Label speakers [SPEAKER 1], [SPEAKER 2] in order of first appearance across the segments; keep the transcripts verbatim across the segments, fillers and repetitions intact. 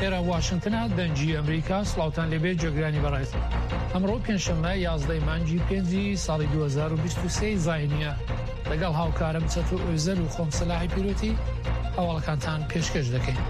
[SPEAKER 1] ئێرە واشنتنە، دەنگی ئەمریکا. سڵاوتان لێبێ جێگرانی بەڕێز. ئەمڕۆ پێنجشەممە یازدە مانگی پێنجی ساڵی دوو هەزار و بیست و سێ زاینیە. لەگەڵ هاوکارم چەتۆ ئۆزەل و خۆم سەلاحی پیرۆتی هەواڵەکانتان پێشکەش دەکەین.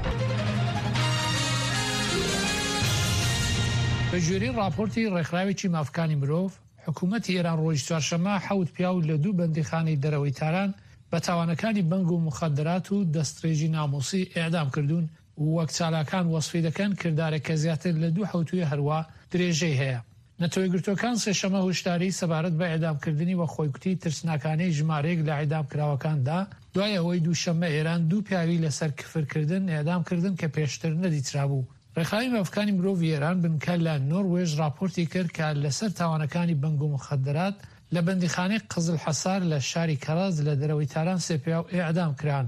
[SPEAKER 1] بە گوێرەی ڕاپۆرتی ڕێکخراوێکی مافکانی مرۆڤ، حکوومەتی ئێران ڕۆژی چوارشەممە حەوت پیاو لە دوو بەندیخانەی دەرەوەی تاران بە تاوانەکانی بەنگ و مخدرات و دەستڕێژی ناموسی ئێعدام کردوون و وەک چالاکان وەسفی دەکەن کردارێک کە زیاتر لە دوو حەوتوویە هەروا درێژەی هەیە. نەتەوەیەکگرتووەکان سێشەممە هۆشداری سەبارەت بە ئێعدامکردنی وە خۆیکوتی ترسناکانەی ژمارەیەک لە ئێعدامکراوەکاندا دوای ئەوەی دووشەممە ئێران دوو پیاوی لەسەر کفرکردن ئێعدام کردن کە پێشتر نەدیترابوو. ڕێکخراوی مافەکانی مرۆڤی ئێران بنکە لە نۆروێژ ڕاپۆرتی کرد کە لەسەر تاوانەکانی بەنگ و مخدرات لە بەندیخانەی قزل حەسار لە شاری کەرەج لە دەرەوەی تاران سێ پیاو ئێعدام کران.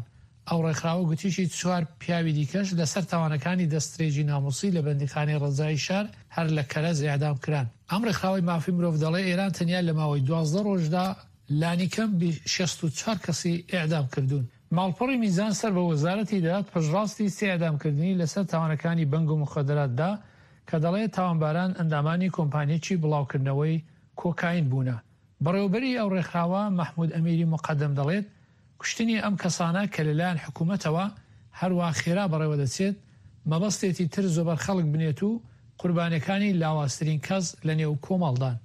[SPEAKER 1] ئەو ڕێکخراوە گوتیشی چوار پیاوی دیکەش لەسەر تاوانەکانی دەستڕێژی ناموسی لە بەندیخانەی ڕەجایی شار هەر لە کەرەج ئێعدام کران. ئەم ڕێکخراوەی مافی مرۆڤ دەڵێ ئێران تەنیا لە ماوەی دوازدە ڕۆژدا لانیکەم شەست و چوار کەسی ئێعدام کردوون. ماڵپەڕی میزان سەر بە وەزارەتی داد پشتڕاستی سێ ئێعدامکردنی لەسەر تاوانەکانی بەنگ و مخدراتدا کە دەڵێ تاوانباران ئەندامانی کۆمپانیەکی بڵاوکردنەوەی کۆکاین بوونە. بەڕێوەبەری ئەو ڕێکخراوە مەحمود ئەمیری مقەدەم دەڵێت کوشتنی ئەم کەسانە کە لەلایەن حکوومەتەوە هەروە خێرا بەڕێوە دەچێت مەبەستێتی تر زۆبەر خەڵک بنێت و قوربانیەکانی لاوازترین کەس لە نێو کۆمەڵدان.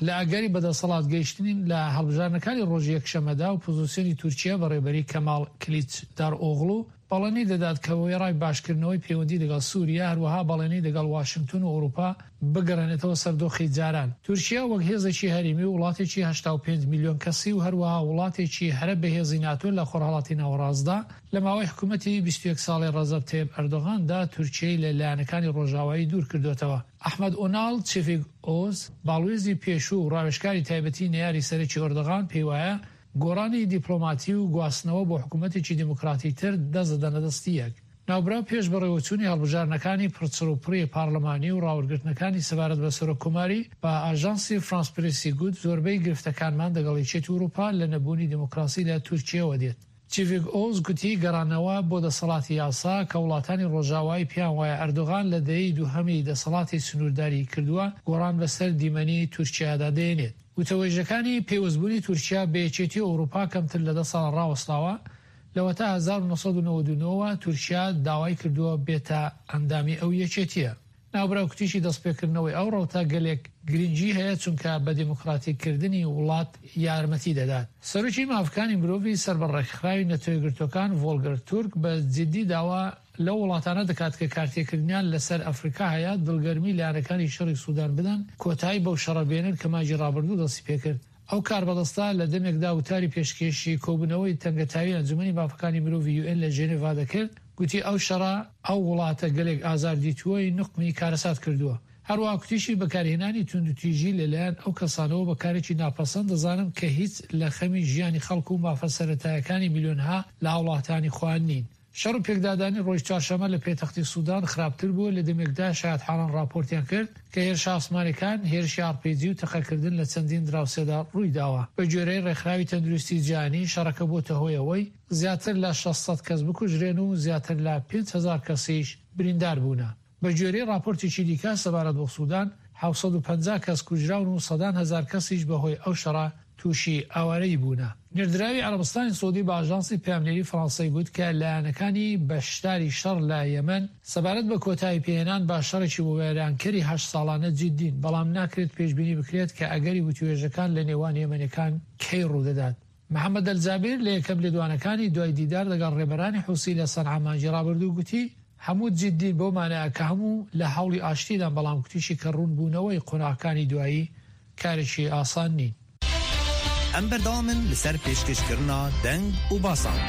[SPEAKER 1] لە ئەگەری بەدەسەڵات گەیشتنین لە هەڵبژاردنەکانی ڕۆژی یەکشەممەدا و پۆزیسیۆنی تورکیا بەڕێبەری کەماڵ کلیچدار ئۆغڵو بەڵێنی دەدات کە وێڕای باشکردنەوەی پەیوەندی لەگەڵ سووریا، هەروەها بەڵێنی لەگەڵ واشنگتن و ئەوروپا بگەڕێنێتەوە سەر دۆخی جاران. تورکیا وەک هێزێکی هەرێمی و وڵاتێکی هەشتا و پێنج میلیۆن کەسی و هەروەها وڵاتێکی هەرە بەهێزی ناتۆ لە خۆرهەڵاتی ناوەڕاستدا لە ماوەی حکوومەتی بیست و یەک ساڵی ڕەجەب تەیب ئەردۆغاندا تورکیای لە لایەنەکانی ڕۆژاوایی دوور کردوێتەوە. ئەحمەد ئۆناڵ چیفیک ئۆز، باڵوێزی پێشوو و ڕاوێژکاری تایبەتی نەیاری سەرەکی ئەردۆغان پێی وایە گۆڕانی دیپلۆماتی و گواستنەوە بۆ حکوومەتێکی دیموکراتی تر دەست دەدەنە دەستی یەک. ناوبراو پێش بەڕێوەچوونی هەڵبژاردنەکانی پڕچڕوپڕی پارلەمانی و ڕاوەرگرتنەکانی سەبارەت بە سەرۆککۆماری بە ئاژانسی فرانس پرێسی گوت زۆربەی گرفتەکانمان دەگەڵ یەکێتی ئەوروپا لە نەبوونی دیموکراسی لە تورکیاوە دێت. چیڤیک ئۆز گوتی گەڕانەوە بۆ دەسەڵاتی یاسا کە وڵاتانی ڕۆژاوایی پێیان وایە ئەردۆغان لە دەیەی دووهەمی دەسەڵاتی سنوورداری کردووە گۆڕان بەسەر دیمەنی تورکیادا دێنێت. وتەوێژەکانی پەیوەستبوونی تورکیا بە یەکێتی ئەوروپا کەمتر لە دە ساڵ ڕاوەستاوە. لەوەتا هەزار و نۆ سەد و نەوەد و نۆ تورکیا داوای کردووە بێتە ئەندامی ئەو یەکێتیە. ناوبراو کوتیشی دەستپێکردنەوەی ئەو ڕەوتە گەلێک گرنگی هەیە چونکە بە دیموکراتیکردنی وڵات یارمەتی دەدات. سەرۆکی مافەکانی مرۆڤی سەر بە ڕێکخراوی نەتەوەیەکگرتووەکان ڤۆلگەر تورک بە جدی داوا لەو وڵاتانە دەکات کە کارتێکردنیان لەسەر ئەفریکا هەیە دڵگەرمی لایەنەکانی شەڕی سودان بدەن کۆتایی بەو شەڕە بێنن کە مانگی ڕابردوو دەستی پێکرد. ئەو کاربەدەستە لە دەمێکدا وتاری پێشکێشی کۆبوونەوەی تەنگەتاوی ئەنجومەنی مافەکانی مرۆڤی یوئێن لە ژێنێڤا دەکرد گوتی ئەو شەڕە ئەو وڵاتە گەلێک ئازار دیتووەی نوقمی کارەسات کردووە. هەروەها کوتیشی بەکارهێنانی توندوتیژی لەلایەن ئەو کەسانەوە بە کارێکی ناپەسەند دەزانم کە هیچ لە خەمی ژیانی خەڵک و مافە سەرەتایەکانی میلیۆنها لە هاوڵاتانی خۆیان نین. شەڕ و پێکدادانی ڕۆژ چوارشەممە لە پێتەختی سودان خراپتر بووە لە دەمێکدا شایەتحاڵان ڕاپۆرتیان کرد کە هێرشە ئاسمانەکان، هێرشی ئاڕپیجی و تەقەکردن لە چەندین دراوسێدا ڕووی داوە. بە گوێرەی ڕێکخراوی تەندروستی جیهانی شەڕەکە بۆتە هۆی ئەوەی زیاتر لە شەش سەد کەس بکوژرێن و زیاتر لە پێنج هەزار کەسیش بریندار بوونە. بە گوێرەی ڕاپۆرتێکی دیکە سەبارەت بۆ سودان حەوت سەد و پەنجا کەس کوژراون و سەدان هەزار کەسیش بەهۆی ئەو شەڕە تووشی ئاوارەیی بوونە. نێردراوی عەرەبستانی سعودی بە ئاژانسی پەیامنێری فەرەنسای گوت کە لایەنەکانی بەشداری شەڕ لە یەمەن سەبارەت بە کۆتایی پێهێنان بە شەڕێکی وێرانکەری هەشت ساڵانە جدین، بەڵام ناکرێت پێشبینی بکرێت کە ئەگەری وتوێژەکان لە نێوان یەمەنەکان کەی ڕوودەدات. محەممەد ئەلجابیر لە یەکەم لێدوانەکانی دوای دیدار لەگەڵ ڕێبەرانی حوسی لە سەنعا مانگی ڕابردوو گوتی هەموو جدین بۆ مانایە کە هەموو لە هەوڵی ئاشتیدان، بەڵام گوتیشی کە ڕوونبوونەوەی قۆناغەکانی دوایی کارێکی ئاسان نین.
[SPEAKER 2] ئەم بەردەوامن لەسەر پێشکەشکردنا دەنگ و باسان.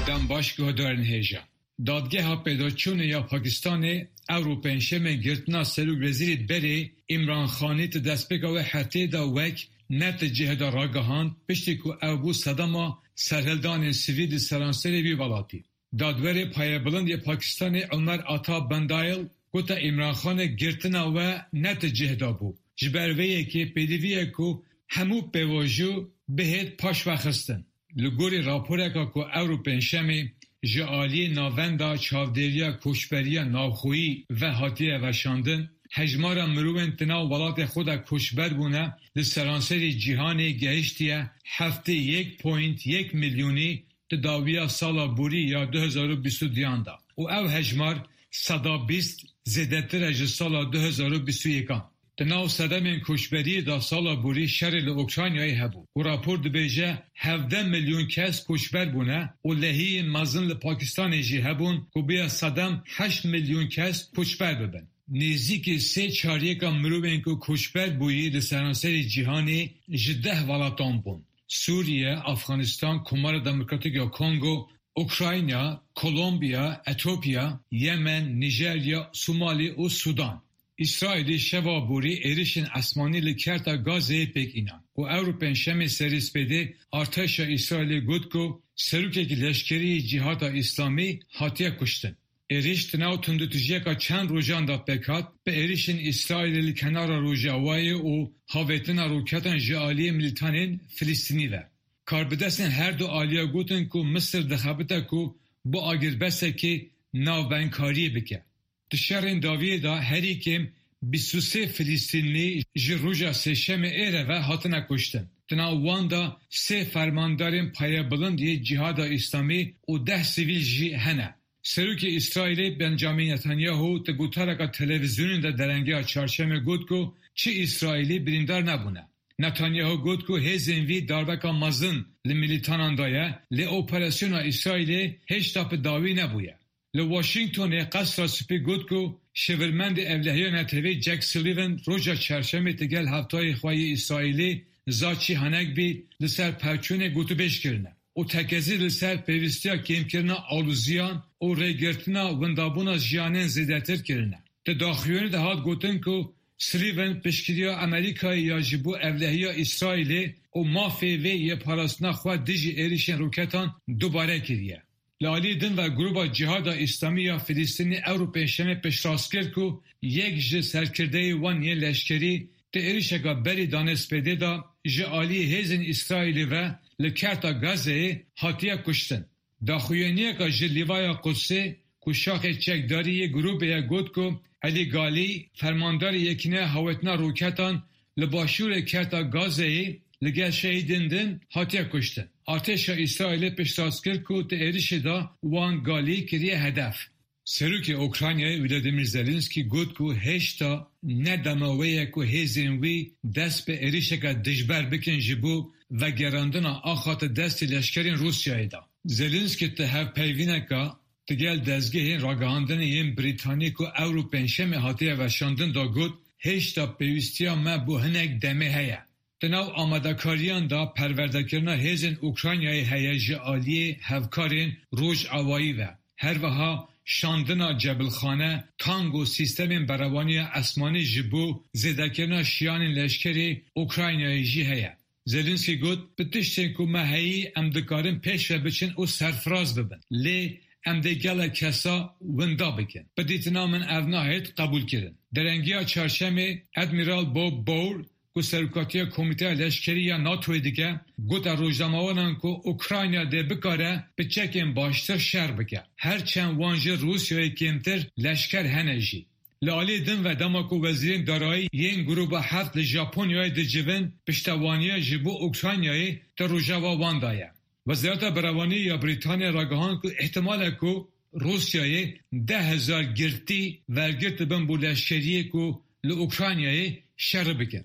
[SPEAKER 3] دەم باش guhdarên hêja. Dadgeha pêdaçûnê ya Pakistanê ew pêncşemê girtina Serokwezîrê berê Îmran Xanî di destpêka wê hefteyê de wek ne di cihê de ragihand piştî ku ew bû sedema serhildanên sivîl li seranserê vî welatî. Dadwerê payebilind yê Pakistanê Ömer Ata Bendayel gote Îmran Xanê girtina we ne di cihê de bû. Ji ber vê yekê pêdivî ye ku hemû pêvajo bihêt paşvexistin. Li gorî raporeka ku ewro pêncşemê ji aliyê navenda çavdêriya koçberiya navxweyî ve hatiye weşandin, hejmara mirovên di nav welatê xwe de koçber bûne li seranserî cîhanê gehiştiye heftê yek point yek milyonî di dawiya sala borî ya du hezar û bîst û duyan de û ew hejmar seda bîst zêdetir e ji sala du hezar û bîst û yekan. Di nav sedemên koçberiyê de sala borî şerê li Ukraynayê hebû û rapor dibêje hevdeh milyon kes koçber bûne û lehiyên mezin li Pakistanê jî hebûn ku bûye sedem heşt milyon kes koçber bibin. Nêzîkî sê çaryeka mirovên ku koçber bûyî li seranserî cîhanê ji deh welatan bûn: Sûriye, Afganistan, Komara Demokratîk ya Kongo, Ukrayna, Kolombiya, Etiyopya, Yemen, Nijerya, Somalî û Sudan. İsraîlê şeva borî êrişên esmanî li Kerta Gazeyê pêk înan û ewro pêncşemê serê spêdê artêşa Îsraîlê got ku serokekî leşkerî yê Cîhada Îslamî hatiye kuştin. Êriş di nav tundûtûjiyeka çend rojan de pêk hat, bi êrişên Îsraîlê li kenara Rojavayê û havêtina roketan ji aliyê milîtanên Filistînî ve. Karbidestên her du aliya gotin ku Misir dixebite ku bo agirbesekê navbeynkariyê bike. Di şerên dawiyê de herî kêm bîst û sê Filistînî ji roja sêşemê êre ve hatine kuştin. Di nav wan de sê fermandarên payebilind yê Cîhada Îslamî û deh sivîl jî hene. Serokê Îsraîlê Benjamin Netanyahu di gotareka televîzyonê de derengeya çarşemê got ku çi Îsraîlî birîndar nebûne. Netanyahu got ku hêzên wî darbeka mezin li milîtanan daye, lê operasyona Îsraîlê hêjta bi dawî nebûye. Li Washingtonê Qesra Spî got ku şêwirmendê Ewlehiya Netewî Jake Sullivan roja çarşemê digel hevtayê xwe yê Îsraîlî Tzachi Hanegbi li ser pevçûnê gotûbêj kirine û tekezî li ser pêwîstiya kêmkirina aloziyan û rêgirtina windabûna jiyanên zêdetir kirine. Di daxuyaniyê de hat gotin ku Sullivan piştgiriya Amerîkayê ya ji bo ewlehiya Îsraîlê û mafê wê yê parastina xwe dijî êrişên roketan dubare kiriye. Li aliyê din ve Grûpa Cîhada Îslamî ya Filistînê ewro pêncşemê piştrast kir ku yek ji serkirdeyê wan yên leşkerî di êrişeka berî danê spêdê de ji aliyê hêzên Îsraîlê ve li Kerta Gazeyê hatiye kuştin. Daxuyaniyeka ji Lîvaya Qudsê ku şaxê çekdarî yê grûpê ye got ku Elî Galî fermandarê yekîneya hawetina roketan li başûrê Kerta Gazeyê li gel şehîdên din hatiye kuştin. Artêşa Îsraîlê piştrast kir ku di êrişê de wan Galî kiriye hedef. Serokê Ukraynayê Volodymyr Zelenskiy got ku hêjta ne dema wê ye ku hêzên wî dest bi êrişeke dijber bikin ji bo vegerandina axa di destê leşkerên Rûsyayê de. Zelenskiy di hevpeyvîneka digel dezgehên ragihandinê yên Brîtanî ku ewro pêncşemê hatiye weşandin de got, hêjta pêwîstiya me bo hinek demê heye. Di nav amadekariyan de perwerdekirina hêzên Ukraynayê heye ji aliyê hevkarên rojavayî ve. Her wiha şandina cebilxane, tang û sîstemên berevaniya esmanî ji bo zêdekirina şiyanên leşkerê Ukraynayê jî heye. Zelenskiy got, bi tiştên ku me heyî em dikarin pêş ve biçin û serfiraz bibin. Lê em dê gelek kesa winda bikin. Bi dîtina min ev nahêt qebûlkirin. Derengiya çarşemê Admiral Bob Bauer ku serokatiya Komîteya Leşkerî ya NATOyê dike, got rojnamevanan ku Ukrayna dê bikare bi çekên baştir şer bike. Her çend wan ji Rûsyayê kêmtir leşker hene jî. Li aliyê din ve dema ku wezîrên darayî yên grûpa heft li Japonyayê dicivin, piştevaniya ji bo Ukraynayê di rojeva wan de ye. Wezareta Berevanî ya Brîtanya ragihand ku îhtimal e ku Rûsyayê deh hezar girtî wergirtibin bo leşkeriyê ku li Ukraynayê şer bikin.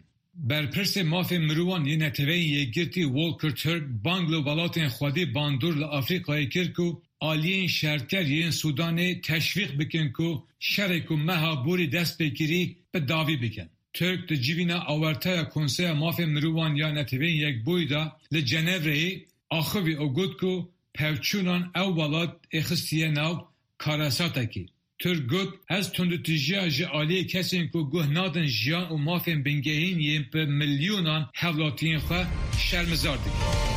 [SPEAKER 3] Berpirsê mafê mirovan yê Neteweyên Yekgirtî Volker Türk bang li welatên xwedî bandor li Afrîkayê kir ku aliyên şerker yên Sudanê teşwîq bikin ku şerê ku meha borî dest pê kirî bi dawî bikin. Türk di civîna Awerteya Konseya Mafê Mirovan ya Neteweyên Yekbûyî de li Cenevreyê axivî û got ku pevçûnan ew welat êxistiye nav karesatekî. Türk got, ez tundûtûjiya ji aliyê kesên ku guh nadin jiyan û mafên bingehîn yên bi milyonan hevlatiyên xwe şermezar dikim.